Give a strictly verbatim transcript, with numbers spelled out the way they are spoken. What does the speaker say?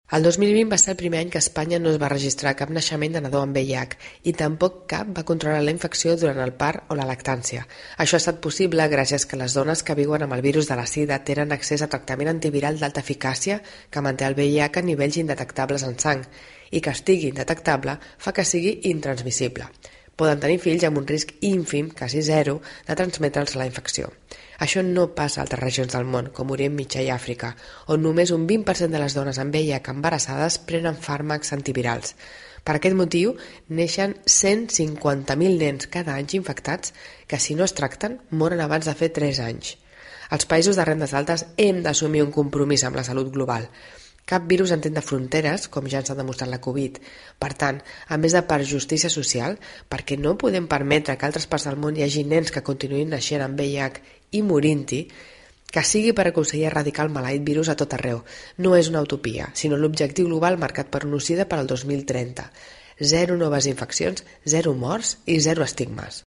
El dos mil vint va ser el primer any que a Espanya no es va registrar cap naixement de nadó amb V I H i tampoc cap va controlar la infecció durant el part o la lactància. Això ha estat possible gràcies que les dones que viuen amb el virus de la sida tenen accés a tractament antiviral d'alta eficàcia que manté el V I H a nivells indetectables en sang i que estigui indetectable fa que sigui intransmissible. Poden tenir fills amb un risc ínfim, quasi zero, de transmetre'ls la infecció. Això no passa a altres regions del món, com Orient Mitjà i Àfrica, on només un vint per cent de les dones amb V I H embarassades prenen fàrmacs antivirals. Per aquest motiu, neixen cent cinquanta mil nens cada any infectats que, si no es tracten, moren abans de fer tres anys. Els països de rendes altes hem d'assumir un compromís amb la salut global. Cap virus entén de fronteres, com ja ens ha demostrat la Covid. Per tant, a més de per justícia social, perquè no podem permetre que a altres parts del món hi hagi nens que continuïn naixent amb V I H i morint-hi, que sigui per aconseguir erradicar el maleït virus a tot arreu. No és una utopia, sinó l'objectiu global marcat per UNOCIDA per al dos mil trenta. Zero noves infeccions, zero morts i zero estigmes.